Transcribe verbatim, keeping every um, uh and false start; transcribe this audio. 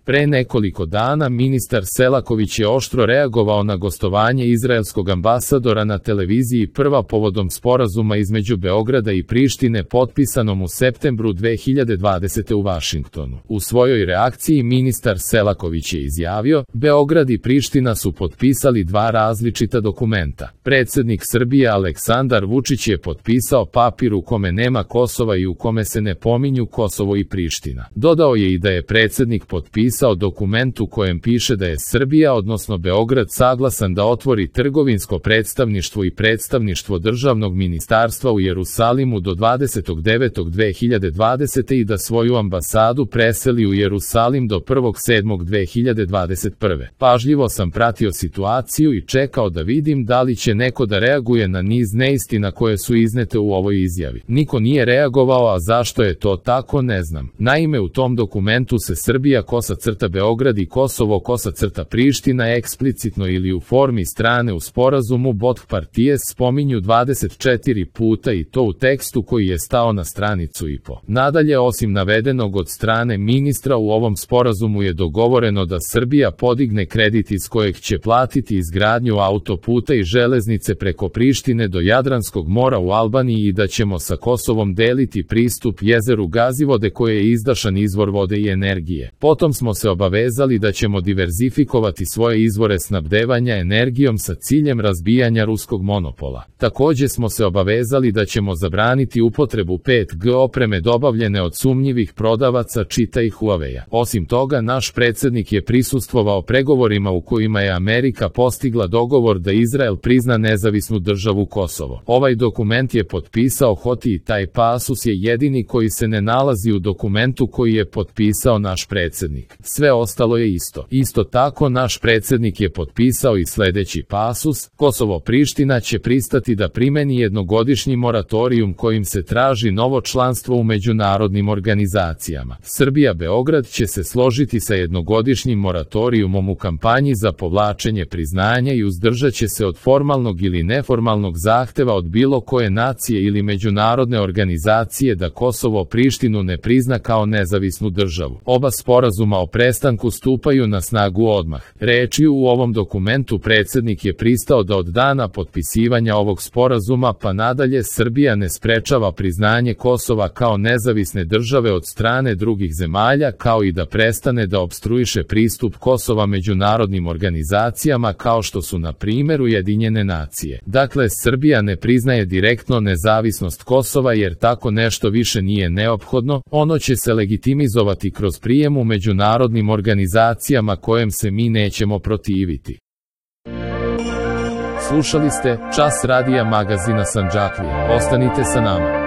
Pre nekoliko dana ministar Selaković je oštro reagovao na gostovanje izraelskog ambasadora na televiziji Prva povodom sporazuma između Beograda i Prištine potpisanom u septembru dve hiljade dvadesete. u Vašingtonu. U svojoj reakciji ministar Selaković je izjavio: Beograd i Priština su potpisali dva različita dokumenta. Predsednik Srbije Aleksandar Vučić je potpisao papir u kome nema Kosova i u kome se ne pominju Kosovo i Priština. Dodao je i da je predsednik potpisao dokument u kojem piše da je Srbija, odnosno Beograd, saglasan da otvori trgovinsko predstavništvo i predstavništvo državnog ministarstva u Jerusalimu do dvadesetog devetog dve hiljade dvadesete. i da svoju ambasadu preseli u Jerusalim do prvog sedmog dve hiljade dvadeset prve. Pažljivo sam pratio situaciju i čekao da vidim da li će neko da reaguje na niz neistina koje su iznete u ovoj izjavi. Niko nije reagovao, a zašto je to tako ne znam. Naime, u tom dokumentu se Srbija kosa crta Beograd i Kosovo kosa crta Priština eksplicitno ili u formi strane u sporazumu Bot Partijes spominju dvadeset četiri puta i to u tekstu koji je stao na stranicu i po. Nadalje, osim navedenog od strane ministra, u ovom sporazumu je dogovoreno da Srbija podigne kredit iz kojeg će platiti izgradnju autoputa i železnice preko Prištine do Jadranskog mora u Albaniji i da ćemo sa Kosovom deliti pristup jezeru Gazivode koje je izdašan izvor vode i energije. Potom smo se obavezali da ćemo diverzifikovati svoje izvore snabdevanja energijom sa ciljem razbijanja ruskog monopola. Takođe smo se obavezali da ćemo zabraniti upotrebu pet G opreme dobavljene od sumnjivih prodavaca, čitaj Huawei-a. Osim toga, naš predsednik je prisustvovao pregovorima u kojima je Amerika postigla dogovor da Izrael prizna nezavisnu državu Kosovo. Ovaj dokument je potpisao Hoti i taj pasus je jedini koji se ne nalazi u dokumentu koji je potpisao naš predsednik. Sve ostalo je isto. Isto tako, naš predsednik je potpisao i sledeći pasus: Kosovo-Priština će pristati da primeni jednogodišnji moratorijum kojim se traži novo članstvo u međunarodnim organizacijama. Srbija-Beograd će se složiti sa jednogodišnjim moratorijumom u kampanji za povlačenje priznanja i uzdržat će se od formalnog ili neformalnog zahteva od bilo koje nacije ili međunarodne organizacije da Kosovo-Prištinu ne prizna kao nezavisnu državu. Oba sporazuma o prestanku stupaju na snagu odmah. Rečju u ovom dokumentu predsednik je pristao da od dana potpisivanja ovog sporazuma pa nadalje Srbija ne sprečava priznanje Kosova kao nezavisne države od strane drugih zemalja, kao i da prestane da opstruiše pristup Kosova međunarodnim organizacijama kao što su na primjer Ujedinjene nacije. Dakle, Srbija ne priznaje direktno nezavisnost Kosova jer tako nešto više nije neophodno, ono će se legitimizovati kroz prijem u međunarodnim organizacijama kojem se mi nećemo protiviti. Slušali ste Čas radija magazina Sandžaklija. Ostanite sa nama.